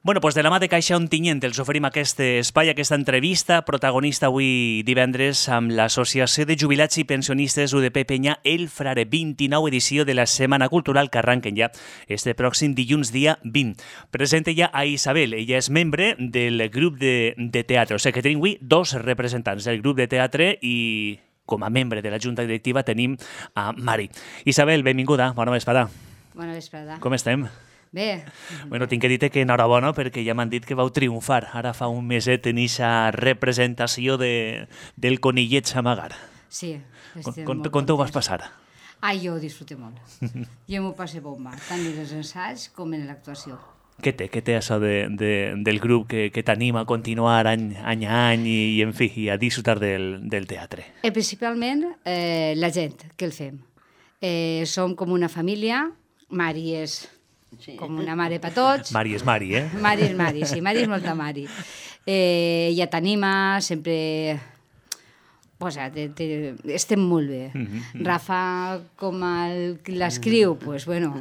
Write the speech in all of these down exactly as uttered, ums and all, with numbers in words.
Bueno, doncs de la mà de Caixa Ontinyent els oferim aquest espai, aquesta entrevista, protagonista avui divendres amb l'Associació de Jubilats i Pensionistes U D P Penyà El Frare, vint-i-nou edició de la Setmana Cultural que arranquen ja este pròxim dilluns dia vint. Presenta ja a Isabel, ella és membre del grup de, de teatre, o sigui que tenim avui dos representants del grup de teatre i com a membre de la Junta Directiva tenim a Mari. Isabel, benvinguda, bona vesprada. Bona vesprada. Com estem? Bé. Bueno, tinc que dir que enhorabona perquè ja m'han dit que vau triomfar. Ara fa un meset en aquesta representació de, del Conillet Samagar. Sí. Com, com t'ho vas passar? Ai, jo ho disfruté molt. Jo m'ho passé bomba, tant en els ensaios com en l'actuació. Què té, què té això de, de, del grup que, que t'anima a continuar any, any a any i, i, en fi, i a disfrutar del, del teatre? Eh, principalment eh, la gent que el fem. Eh, som com una família, Mari és... Sí. Com una mare per tots. Mari és Mari, eh? Mari és Mari, sí, Mari és molta Mari. Eh, ella t'anima, sempre... Pues, te, te, estem molt bé. Mm-hmm. Rafa, com el, l'escriu, pues, bueno...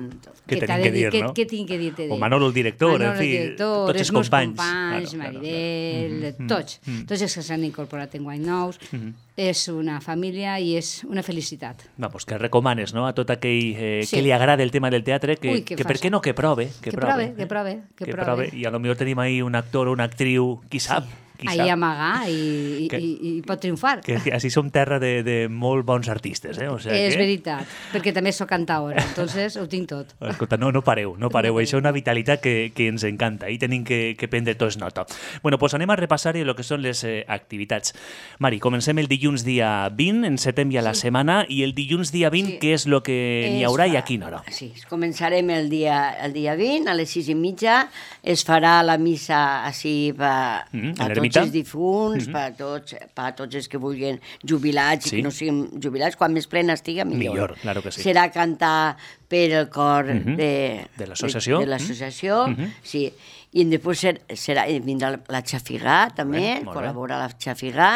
Què tenim que dir, no? Què tinc que dir-te? O Manolo el director, Manolo, en fi, el director, tots els companys. companys, claro, Maribel, claro, claro. tots. Mm-hmm. Tots els que s'han incorporat en guany nous. Mm-hmm. És una família i és una felicitat. Vamos, que recomanes, no?, a tot aquell eh, sí. que li agrada el tema del teatre, que, Ui, que, que per què no que prove? Que, que prove, que prove. Que, que prove. prove. I a lo millor tenim ahí un actor o una actriu, qui sap? Sí. Qui ahí amagar i, que, i, i, i pot triomfar. Que, que així som terra de, de molt bons artistes, eh? O sigui és que... veritat, perquè també soc cantaora, entonces ho tinc tot. Escolta, no, no pareu, no pareu, això és una vitalitat que, que ens encanta i tenim que, que prendre tots nota. Bueno, doncs anem a repassar el que són les eh, activitats. Mari, comencem el dilluns dia vint, encetem ja la sí. setmana, i el dilluns dia vint, sí. què és el que n'hi haurà i a quina hora? Sí, començarem el dia, el dia vint, a les sis i mitja, es farà la missa així per, mm, per tots els difunts, mm-hmm. per, tots, per tots els que vulguin jubilats sí. i que no siguin jubilats, quan més plena estiga, millor. Millor, claro que sí. Serà cantar per el cor mm-hmm. de, de l'associació, de, de l'associació, mm-hmm. sí. I després serà, vindrà la Xafigà, també, bé, col·labora la Xafigà,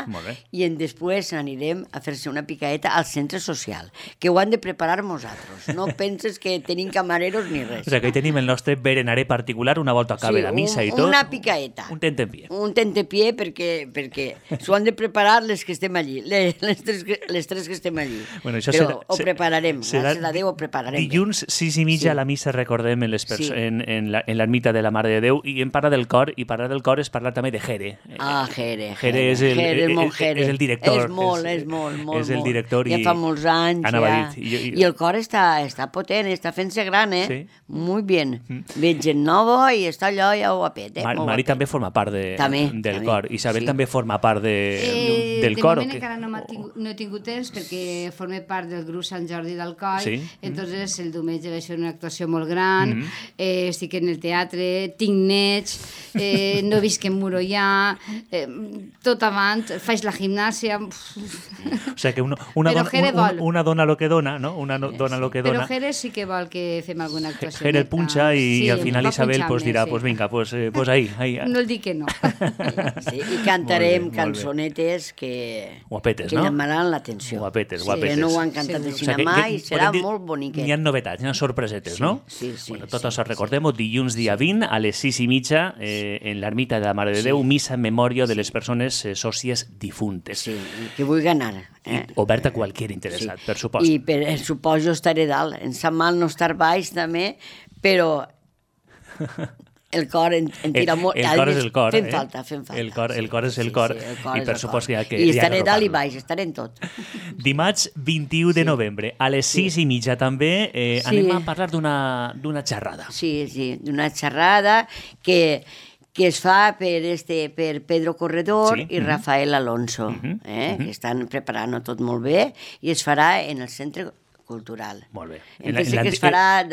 i en després anirem a fer-se una picaeta al centre social, que ho han de preparar nosaltres. No penses que tenim camareros ni res. O sigui, que tenim el nostre berenaré particular una volta acabe sí, la missa i tot. Una picaeta. Un tentempié. Un tentempié perquè, perquè s'ho han de preparar les que estem allí, les, les, tres, les tres que estem allí. Bueno, això Però serà, ho prepararem, serà, gràcies a Déu ho prepararem. Dilluns, sis i mitja, sí. la missa, recordem, en, les sí. en, en, la, en l'ermita de la Mare de Déu, i en parla del cor, i parlar del cor és parlar també de Jere. Ah, Jere. Jere és el, Jere, el, el, Jere. és el director. És molt, és, és molt, molt. És el director. Ja i, fa molts anys. Ja. I, i, I el cor està, està potent, està fent-se gran, eh? Sí. Muy bien. Mm. Ve gent nova i està allò ja guapet, eh? Mar, Mari guapet. també forma part de, també, del també. cor. Isabel sí. també forma part de, eh, del cor. De moment encara no, tingut, no he tingut temps perquè formé part del grup Sant Jordi d'Alcoi, sí. entonces el diumenge vaig fer una actuació molt gran, mm -hmm. eh, estic en el teatre, tinc nets, eh, no visc en Murallà, eh, tot avant, faig la gimnàsia... O sigui que una, una, dona, una, una dona lo que dona, no? Una no, dona sí. lo que dona. Però Jere sí que vol que fem alguna actuació. Jere el punxa i, sí, i al final Isabel pues, dirà, sí. pues vinga, pues, eh, pues ahí, ahí. No el dic que no. Sí, i cantarem molt bé, cançonetes que, guapetes, que no? llamaran l'atenció. Guapetes, sí, guapetes. Que no ho han cantat sí. de cinema o sigui, i serà dir, molt boniquet. N'hi ha novetats, n'hi ha sorpresetes, sí, no? Sí, sí. Bueno, tot sí, això recordem-ho, dilluns dia vint a les sis i mitja eh, en l'ermita de la Mare de Déu, sí. missa en memòria de les persones eh, sòcies difuntes. Sí, que vulgui anar. Eh? Oberta a qualsevol interessat, sí. per supost. I per suposo estaré dalt. Em sap mal no estar baix també, però el cor en, en tira molt. El, el cor és el cor. Fem eh? falta, fem falta. El cor, el cor és el sí, cor. Sí, el cor I per supost que hi ha que... I estaré dalt i baix, estaré en tot. Dimarts vint-i-u de novembre, a les sis sí. i mitja també, eh, sí. anem a parlar d'una xerrada. Sí, sí, d'una xerrada que... que es fa per, este, per Pedro Corredor sí. i Rafael Alonso, uh-huh. eh, uh-huh. que estan preparant tot molt bé, i es farà en el centre cultural. Molt bé. En la, en la, que es farà,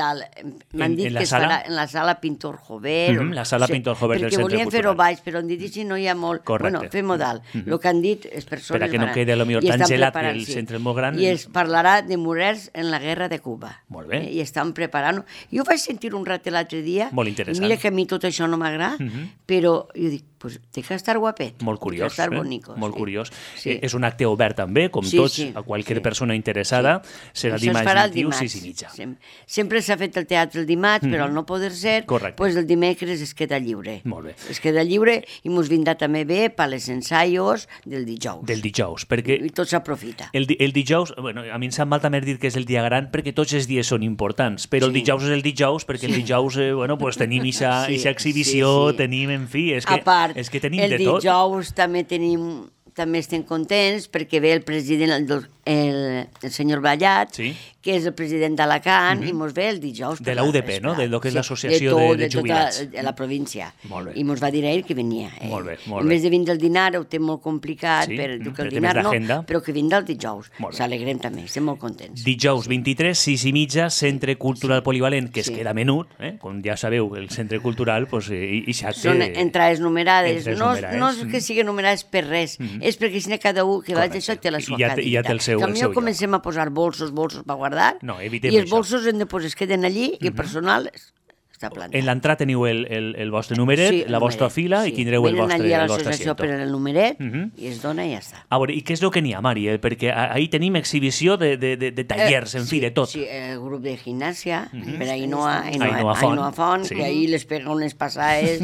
m'han dit que es sala? farà en la sala Pintor Jover. Mm-hmm, la sala o sigui, Pintor Jover del centre cultural. Perquè volien fer-ho baix, però han dit que no hi ha molt... Correcte. Bueno, fem-ho dalt. Mm-hmm. El que han dit, les persones... Per a que no quede lo millor tan gelat que el centre és molt gran. I es parlarà de morers en la guerra de Cuba. Molt bé. Eh, I estan preparant-ho. Jo vaig sentir un ratet l'altre dia. Molt interessant. Mira que a mi tot això no m'agrada, mm-hmm. però jo dic, pues té que estar guapet. Molt curiós. Té que estar eh? bonico. Molt sí. curiós. Sí. Eh, és un acte obert també, com sí, tots, sí, a qualsevol sí. persona interessada. Sí. Serà Això dimarts vint-i-u, sis i mitja. Sem sempre s'ha fet el teatre el dimarts, mm. però al no poder ser, pues el dimecres es queda lliure. Molt bé. Es queda lliure i mos vindrà també bé per les ensaios del dijous. Del dijous, perquè... I tot s'aprofita. El, el dijous, bueno, a mi em sap mal també dir que és el dia gran perquè tots els dies són importants, però sí. el dijous és el dijous perquè sí. el dijous, eh, bueno, pues tenim aquesta sí, exhibició, sí, sí. tenim, en fi, és que, part, és que tenim de tot. El dijous també tenim... també estem contents perquè ve el president, el, el, el senyor Ballat, sí. que és el president d'Alacant, mm -hmm. i mos ve el dijous. De la U D P, no? De lo que és sí, l'associació de, de, de jubilats. De tota la província. Molt bé. I mos va dir ell que venia. Eh? Molt bé, molt bé. En vez de vindre el dinar, ho té molt complicat, sí, per, mm, que el dinar no, però que vindrà el dijous. S'alegrem també, estem molt contents. Dijous vint-i-tres, sis i mitja, Centre Cultural sí. Polivalent, que sí. es queda menut, eh? Com ja sabeu, el Centre Cultural, pues, i, i xacte... Són entrades numerades, entrades no, numerades. no és que siguin numerades per res, mm -hmm. és perquè si n'hi ha cada un que vaig això té la sua ja, cadira. Ja té el seu, que el seu comencem a posar bolsos, bolsos per guardar, no, evitem i els això. bolsos en de, pues, es queden allí i el personal està plantat. En l'entrada teniu el, el, el vostre numeret, sí, la vostra numeret, fila sí. i tindreu el vostre, Venen allí a el vostre l'associació asiento. per el numeret uh -huh. i es dona i ja està. A veure, i què és el que n'hi ha, Mari? Eh? Perquè ahir tenim exhibició de, de, de, de tallers, eh, en sí, fi, de tot. Sí, el grup de gimnàsia, uh -huh. per Ainhoa, Ainhoa, Ainhoa Font, Ainhoa Font sí. que ahir les pega unes passades,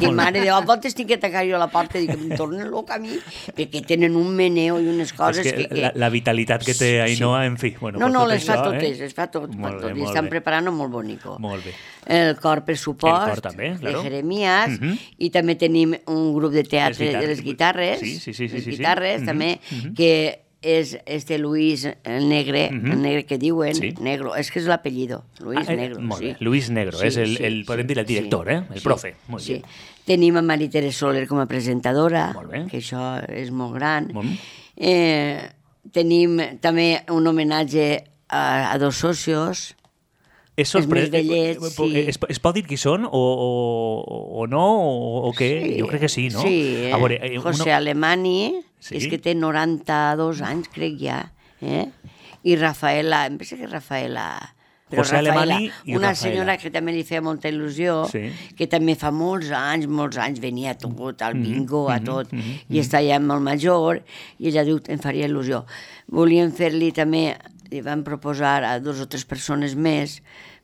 que mare, de voltes tinc que tancar jo a la porta i que em tornen loca a mi, perquè tenen un meneo i unes coses és que... que, que... La, la vitalitat que té Ainhoa, sí. en fi... Bueno, no, pues no, tot les això, fa totes, eh? les fa tot, molt tot bé, i estan bé. preparant molt bonico. Molt bé. El cor pressupost, el cor també, claro. de Jeremías, uh uh-huh. i també tenim un grup de teatre de les guitarres, sí, sí, sí, sí, les sí, guitarres sí. també, uh -huh. que és este Luis el Negre, uh -huh. el Negre que diuen, sí. Negro, és que és l'apellido, Luis ah, Negro. Molt bé, sí. Luis Negro, sí, és el, sí, el, podem dir el director, sí, eh? el sí, profe. Molt sí. bé. Tenim a Marie-Thérèse Soler com a presentadora, molt bé. que això és molt gran. Molt bé. Eh, tenim també un homenatge a, a dos socios, És sorprès... Els més vellets, sí. Es, es pot dir qui són o, o, o no o, o què? Sí, jo crec que sí, no? Sí, eh? A veure, eh, José uno... Alemany, sí? és que té noranta-dos anys, crec ja, eh? I Rafaela, em pensa que Rafaela... Però José Rafaela, Alemany i una Rafaela. senyora que també li feia molta il·lusió, sí. que també fa molts anys, molts anys venia a tot, al bingo, mm -hmm, a tot, mm -hmm, i està ja molt major, i ella diu, em faria il·lusió. Volíem fer-li també, li van proposar a dos o tres persones més,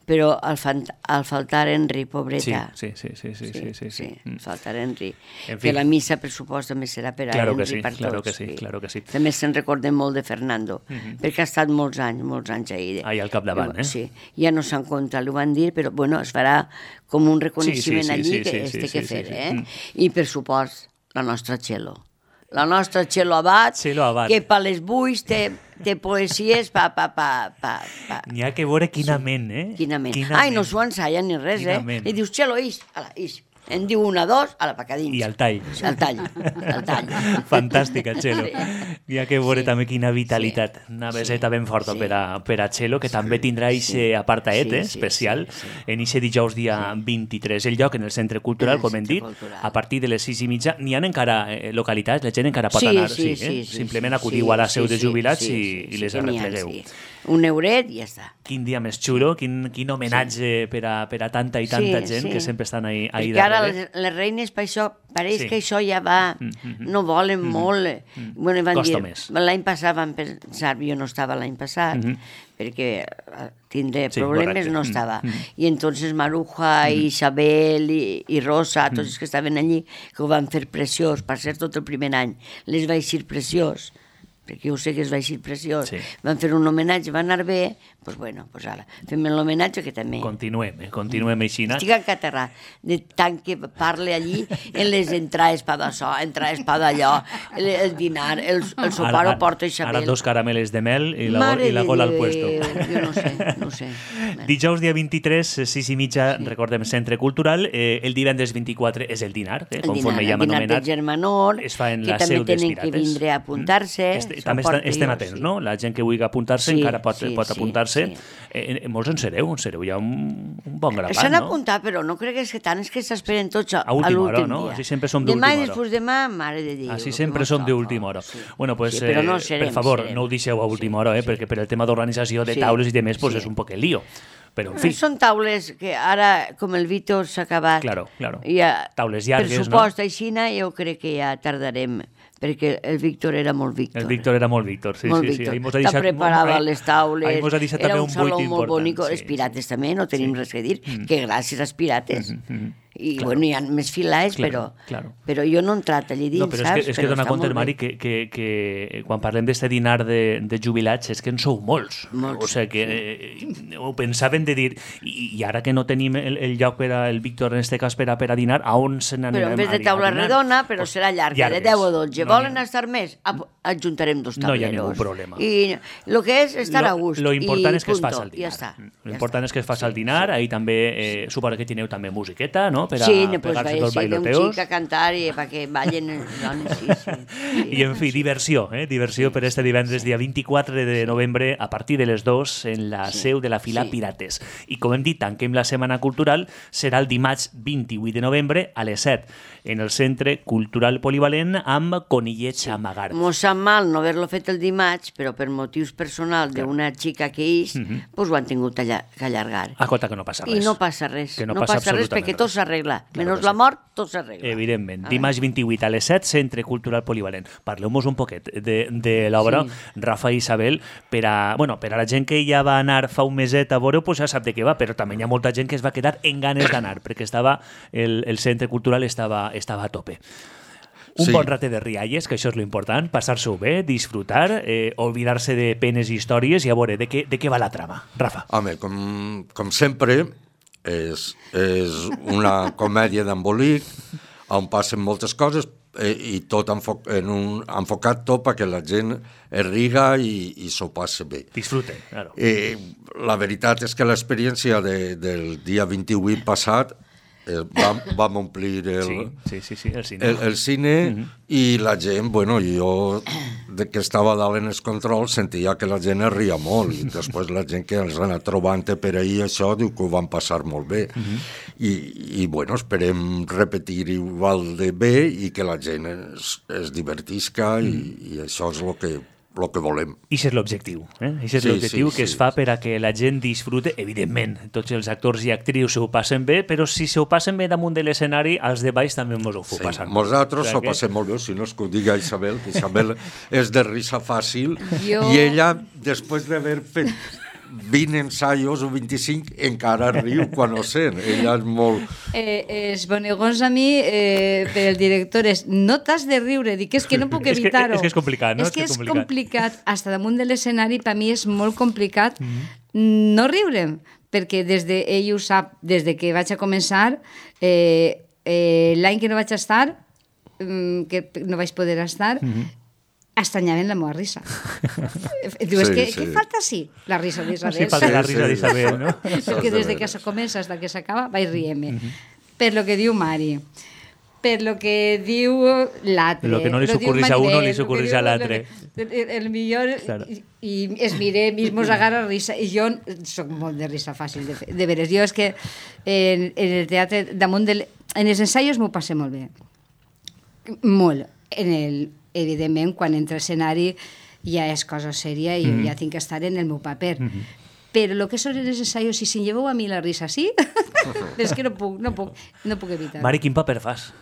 però al, al faltar Henry, pobreta. Sí, sí, sí, sí, sí, sí, sí, sí. sí mm. faltar Henry. En fi. Que la missa, per supost, també serà per a claro Henry, que sí, per claro tots. Que sí, claro que sí. També se'n recordem molt de Fernando, mm -hmm. perquè ha estat molts anys, molts anys ahir. Ahir al capdavant, eh? Sí, ja no s'han comptat, ho van dir, però bueno, es farà com un reconeixement sí, sí, sí, allí sí, que sí, es té sí, que fer, sí, sí. eh? Mm. I per supost, la nostra Txelo. La nostra Txelo Abad, Txelo Abad. que per les buis té, té poesies pa, pa, pa, pa, pa. N'hi ha que veure quina sí. ment, eh? Quina ment. Quina Ai, ment. no s'ho ensaya ni res, quina eh? Ment. I dius, Txelo, ix, ala, ix. En diu una, dos, a la pacadins. I al tall. Al tall, al tall. Fantàstica, Txelo. Sí. N'hi ha que veure sí. també quina vitalitat. Sí. Una beseta sí. ben forta sí. per, a, per a Txelo, que sí. també tindrà aquest sí. apartaet sí, eh, especial sí, sí, sí. en aquest dijous dia sí. vint-i-tres. El lloc en el Centre Cultural, el com hem dit, cultural. A partir de les sis i mitja. N'hi ha encara eh, localitats, la gent encara pot sí, anar. Sí, sí, sí, eh? sí, Simplement sí, acudiu sí, a la seu sí, de jubilats sí, i, sí, sí, i les sí, arreplegueu. Sí. Un euret i ja està. Quin dia més xulo, quin, quin homenatge sí. per, a, per a tanta i tanta sí, gent sí. que sempre estan ahí, ahí Perquè ara darrere. les, les reines, per això, pareix Sí. que això ja va, Mm, mm, mm. no volen Mm, molt. mm. Bueno, van Costa dir, més. l'any passat van pensar, jo no estava l'any passat, Mm -hmm. perquè eh, tindré Sí, problemes, correcte. no Mm, estava. mm. I entonces Maruja, i Isabel, i, i Rosa, tots els que estaven allí, que ho van fer preciós, per ser tot el primer any, les va eixir preciós, perquè jo sé que es va eixir preciós. Sí. Van fer un homenatge, va anar bé, doncs pues bueno, pues ara, fem l'homenatge que també... Continuem, eh? Continuem així. Estic encaterrat de tant que parle allí en les entrades pa d'això, entrades pa d'allò, el, el dinar, el, el sopar ho porta Isabel. Ara dos carameles de mel i la, i la gola al puesto. Jo no sé, no sé. Dijous dia vint-i-tres, sis i mitja, sí. recordem, Centre Cultural. Eh, el divendres vint-i-quatre és el dinar, eh, el conforme dinar, ja hem anomenat. El dinar de Germanor, es fa en que la també seu dels tenen Pirates. que vindre a apuntar-se. Este, també estem, estem atents, sí. no? La gent que vulgui apuntar-se sí, encara pot, sí, pot sí, apuntar-se. Sí. Eh, eh, molts en sereu, en sereu ja un, un bon grapat, S'han no? apuntat, però no crec que és que tant, és que s'esperen tots a, a última hora, l'últim no? dia. Així sempre som d'última hora. hora. Demà i després demà, mare de Déu. Així sempre som d'última hora. Sí. Bueno, pues, sí, però no eh, serem, per favor, serem. no ho deixeu a última hora, eh, Sí. perquè per el tema d'organització de Sí. taules i demés pues, Sí. és un poc el lío. Però, en fi... Són taules que ara, com el Víctor s'ha acabat... Claro, claro. Ja, taules llargues, no? Per supost, aixina, jo crec que ja tardarem, perquè el Víctor era molt Víctor. El Víctor era molt Víctor, sí, molt sí. Víctor. sí. Deixat, Te preparava ahí, les taules, ahí era un saló un molt bonic. Sí, els pirates sí. també, no tenim sí. res a dir, mm. que gràcies als pirates. Mm -hmm. I, claro. bueno, hi ha més filaes, claro, però, claro. però jo no he entrat allà dins, no, però saps? És que, és que dona compte, Mari, que, que, que quan parlem d'este dinar de, de jubilats és que en sou molts. molts o sigui que sí. eh, ho pensaven de dir, i, i ara que no tenim el, el lloc per a el Víctor, en este cas, per a, per a dinar, a on se n'anem a dinar? Però en vez de taula redona, però pues, serà llarga, llargues. de deu o dotze. No Volen estar més? Adjuntarem dos tableros. No hi ha ningú problema. I el que és estar lo, a gust. Lo important i és que punto, es faci el dinar. Ja està. Lo important ja és que es faci el dinar, sí, ahí sí. també, eh, suposo que tineu també musiqueta, no?, per a sí, pues pegar-se sí, dos bailoteos. Sí, un xic a cantar i perquè ballen dones, sí, sí. sí. I, en fi, diversió, eh? Diversió sí, per este divendres, dia vint-i-quatre de novembre, a partir de les dues, en la sí, seu de la Fila sí. Pirates. I, com hem dit, tanquem la Setmana Cultural, serà el dimarts vint-i-vuit de novembre, a les set, en el Centre Cultural Polivalent, amb Conillets sí. Amagart. Mos sap mal no haver-lo fet el dimarts, però per motius personals d'una xica que és, uh -huh. pues ho han tingut que allargar. Escolta, que no passa res. I no passa res. Que no, no passa, passa res perquè tot s'arregla. Claro menys la mort, tot s'arregla. Evidentment. Dimarts vint-i-vuit a les set, Centre Cultural Polivalent. Parleu-nos un poquet de, de l'obra, sí. Rafa i Isabel, per a, bueno, per a la gent que ja va anar fa un meset a veure, pues ja sap de què va, però també hi ha molta gent que es va quedar en ganes d'anar, perquè estava el, el Centre Cultural estava, estava a tope. Un sí. bon rate de rialles, que això és lo important, passar-s'ho bé, disfrutar, eh, oblidar-se de penes i històries i a veure de què, de què va la trama. Rafa. Home, com, com sempre, és, és una comèdia d'embolic on passen moltes coses eh, i tot enfo en un, enfocat tot perquè la gent es riga i, i s'ho passa bé. Disfrute, claro. Eh, la veritat és que l'experiència de, del dia vint-i-vuit passat eh, vam, vam omplir el, sí, sí, sí, sí, el cine, el, el cine uh-huh. i la gent, bueno, jo de que estava dalt en els controls sentia que la gent es ria molt i després la gent que els ha anat trobant per ahir això diu que ho van passar molt bé uh-huh. I, i bueno, esperem repetir igual de bé i que la gent es, es divertisca uh-huh. i, i això és el que el que volem. I això és l'objectiu, eh? Això és sí, l'objectiu sí, que sí. es fa per a que la gent disfrute, evidentment, tots els actors i actrius s'ho passen bé, però si s'ho passen bé damunt de l'escenari, els de baix també mos ho sí, passen. Nosaltres s'ho que... passem molt bé, si no és que ho diga Isabel, que Isabel és de risa fàcil, jo... i ella, després d'haver fet vint ensaios o vint-i-cinc encara riu quan ho sent, ella és molt... Eh, els bonegons a mi eh, per el director és no t'has de riure, dic és que no puc evitar-ho. És que és complicat, no? És que és complicat, complicat. Hasta damunt de l'escenari per mi és molt complicat mm-hmm. no riure, perquè des de, ell ho sap, des de que vaig a començar, eh, eh, l'any que no vaig estar, mm, que no vaig poder estar, mm-hmm. estanyaven la meva risa. Diu, és sí, que sí. Què falta sí? La risa d'Isabel. Sí, falta la risa d'Isabel, no? Perquè des de que se comença fins que s'acaba vaig rient-me. Uh-huh. Per lo que diu Mari, per lo que diu l'altre. Lo que no li s'ocorreix a uno li s'ocorreix a l'altre. El millor, claro. i, i es mire, mismos agarra risa. I jo soc molt de risa fàcil, de, de veres. Jo és que en, en el teatre, damunt del, en els ensaios m'ho passe molt bé. Molt. En el evidentment, quan entra a escenari ja és cosa sèria i mm-hmm. ja tinc que estar en el meu paper. Mm-hmm. Però el que són els ensaios, si se'n lleveu a mi la risa sí, és que no puc, no puc, no puc evitar. Mari, quin paper fas?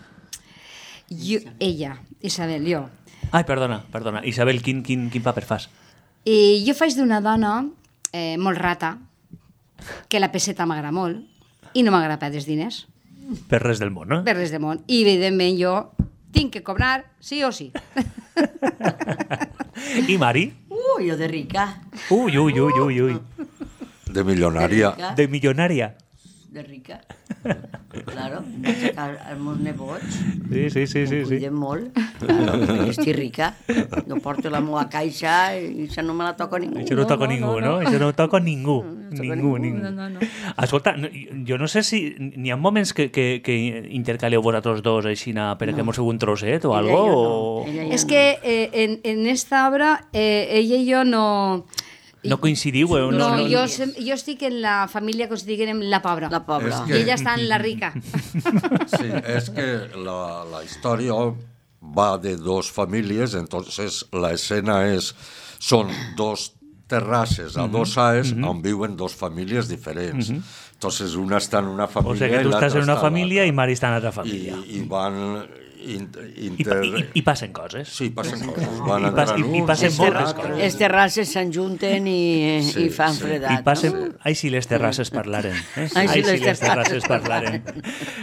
Jo, ella, Isabel, jo. Ai, perdona, perdona. Isabel, quin, quin, quin paper fas? I jo faig d'una dona eh, molt rata, que la peseta m'agrada molt, i no m'agrada perdre els diners. Per res del món, no? Per res del món. I, evidentment, jo tinc que cobrar sí o sí. I Mari? Uh, jo de rica. Ui, ui, ui, ui, ui. De milionària. De, de milionària. De rica. Claro, vaig sacar els meus nebots. Sí, sí, sí. sí, Em cuiden sí. molt. Claro, perquè estic rica. No porto la meva caixa i això no me la toca ningú. Això no, no toca no, ningú, no? no? Això no toca ningú. No, ningú, ningú. No, no, no. Escolta, jo no sé si n'hi ha moments que, que, que intercaleu vosaltres dos així perquè no. mos feu un trosset o algo? No. O... És no. que eh, en, en esta obra eh, ella i jo no... No coincidiu? Eh? No, no, no, jo, jo estic en la família que us diguem la pobra. La pobra. Que... I ella està en la rica. Sí, és que la, la història va de dos famílies, entonces la escena es, son dos terrasses adosadas mm -hmm. on viuen dos famílies diferents. Mm -hmm. Entonces, una està en una família... O sigui que tu estàs en una família i Mari està en altra família. I, i van... Inter... I, i, I passen coses. Sí, passen coses. Van I, pas, i, i passen moltes coses. Les terrasses s'enjunten i, sí, i fan sí. fredat. I passen... No? Ai, si les terrasses parlaren. Eh? Ai, si, Ai, les, si les terrasses parlaren.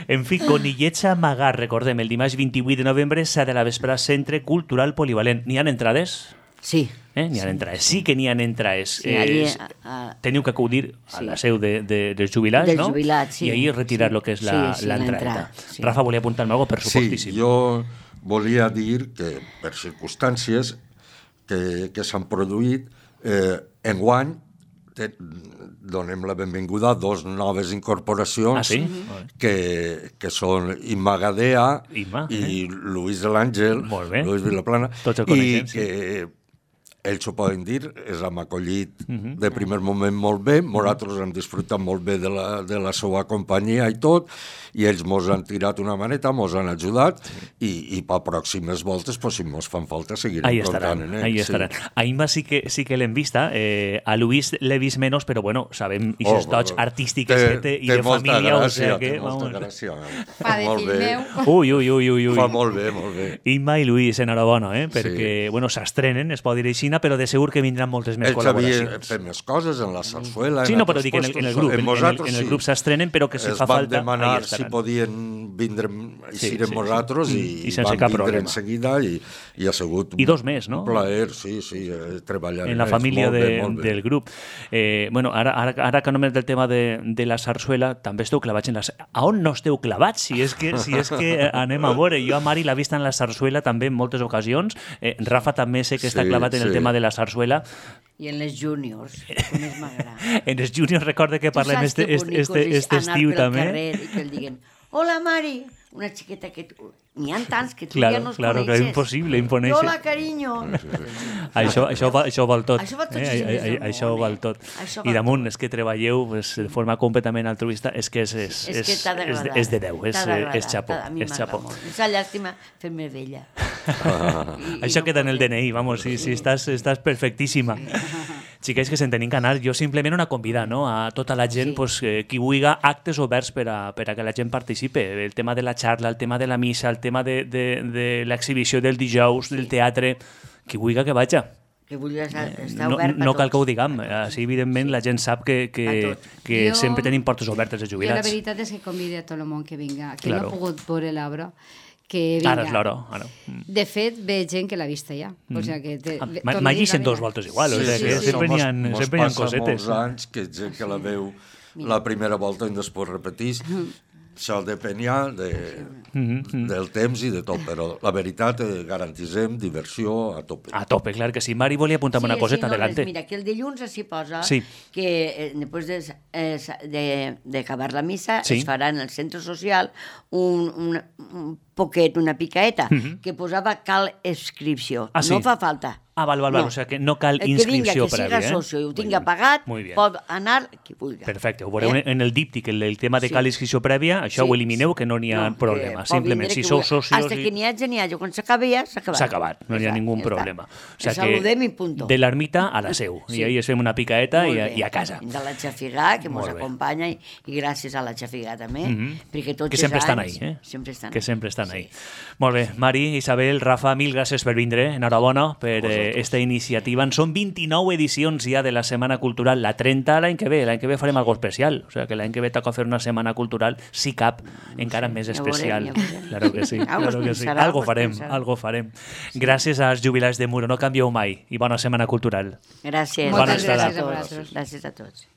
En fi, Conillets a Magar, recordem, el dimarts vint-i-vuit de novembre s'ha de la vespre Centre Cultural Polivalent. N'hi ha entrades? Sí. Eh? N'hi ha sí. entrades. Sí que n'hi ha entrades. Sí, allí, a, a... Teniu que acudir a sí. la seu de, de, dels jubilats, dels no? jubilats, sí. I ahir retirar sí. el que és la, sí, sí, l'entrada. Sí. Rafa volia apuntar-me alguna cosa, per supostíssim. Sí, jo volia dir que, per circumstàncies que, que s'han produït, eh, enguany te, donem la benvinguda a dos noves incorporacions ah, sí? que, que són Imma Gadea Imma, eh? i Luis de l'Àngel, Luis Vilaplana, i que sí. ells ho poden dir, els hem acollit uh-huh. de primer moment molt bé, nosaltres hem disfrutat molt bé de la, de la seva companyia i tot, i ells mos han tirat una maneta, mos han ajudat, sí. i, i per pròximes voltes, pues, si mos fan falta, seguirem ahí comptant. Eh? Ahí estaran. Sí. A Imma sí que, sí que l'hem vista, eh, a Luis l'he vist menys, però bueno, sabem aquestes oh, dots artístiques té, que té, i de família, gràcia, o sigui que... Té molta gràcia, fa de fill meu. Ui, ui, ui, ui, ui. Fa molt bé, molt bé. Imma i Luis, enhorabona, eh? Perquè, sí. bueno, s'estrenen, es pot dir així, però de segur que vindran moltes més ells col·laboracions. Ells havien fet més coses en la sarsuela... Sí, no, però dic en el, en el grup, en, en, el, en el grup s'estrenen, però que si es fa falta... Es van demanar si podien vindre i sí, sí, nosaltres sí. i, I, i van vindre problema. en seguida i, i ha sigut I dos més, no? un plaer, sí, sí, treballar en la família de, bé, del grup. Eh, bueno, ara, ara, ara que només del tema de, de la sarsuela, també esteu clavats en la... A on no esteu clavats? Si és que, si és que anem a veure. Jo a Mari l'ha vista en la sarsuela també en moltes ocasions. Eh, Rafa també sé que està sí, clavat en el sí. tema de la sarsuela. I en les juniors, que més m'agrada. En les juniors recorda que parlem este, este, este, este estiu també. I que el diguen, hola Mari, una xiqueta que... N'hi ha tants que tu claro, ja no els claro, coneixes. Claro, impossible, imponeixer. Hola, carinyo. això, això, va, això val tot. Això val tot. Eh? Eh? Això, això val tot. Això I damunt, és que treballeu pues, de forma completament altruista, és que és, és, és, que és, és, és de Déu, és, és xapó. És xapó. És una llàstima fer-me vella. Ah. I, això i no queda en el D N I, vamos, si, si estàs, estàs perfectíssima. Xiquets que se'n tenim que anar, jo simplement una convida, no?, a tota la gent, sí. pues, eh, qui vulgui actes oberts per a, per a que la gent participe. El tema de la xarla, el tema de la missa, el tema de, de, de l'exhibició del dijous, sí. del teatre, qui vulgui que vaja. Que vulgui estar no, obert no cal que ho diguem, així evidentment sí. la gent sap que, que, que jo, sempre tenim portes obertes de jubilats. Jo la veritat és que convide a tot el món que vinga, que claro. no ha pogut veure l'obra, que vinga. Ara és l'hora. Ara. De fet, ve gent que l'ha vista ja. Mm. O sea que te, ah, M'ha llegit dos voltes igual, sí, o sea que sí, sí. sempre n'hi ha, sempre hi ha cosetes. Mos passa molts anys que gent que la veu la primera volta i després repetís. Això depenia de, mm-hmm. del temps i de tot, però la veritat eh, garantisem diversió a tope. A tope, clar que sí. Mari volia apuntar-me sí, una coseta, sí, no, adelante. Mira, que el dilluns s'hi posa sí. que eh, després d'acabar de, de la missa sí. es farà en el centre social un, un, un poquet, una picaeta, mm-hmm. que posava cal inscripció. Ah, sí? No fa falta. Ah, val, val, val. No. O sigui que no cal inscripció per a dir, eh? Que siga socio i ho tinga pagat, pot anar qui vulgui. Perfecte, ho veureu eh? en el díptic, el, el tema de sí. cal inscripció prèvia, això sí. ho elimineu, que no n'hi ha no, problema. Simplement, si sou socios... Hasta que n'hi hagi, n'hi hagi. Quan s'acabi ja, s'ha acabat. S'ha acabat, no n'hi ha ningú problema. O sigui saludem i punto. De l'ermita a la seu. Sí. I ahí es fem una picaeta i a, i a casa. De la Xafigà, que ens acompanya, i, i gràcies a la Xafigà també, mm-hmm. perquè tots que sempre els estan anys... ahí, eh? Sempre estan que sempre estan ahí. Molt bé, Mari, Isabel, Rafa, mil gràcies per vindre. Enhorabona per esta iniciativa. Són vint-i-nou edicions ja de la Setmana Cultural, la trenta l'any que ve, l'any que ve farem algo especial, o sigui que l'any que ve toca fer una Setmana Cultural, si cap, encara sí, més especial. Ja veurem, ja claro que sí, claro que sí. Algo farem, algo farem. Gràcies als jubilats de Muro, no canvieu mai, i bona Setmana Cultural. Gràcies. Moltes gràcies a vosaltres. Gràcies a tots.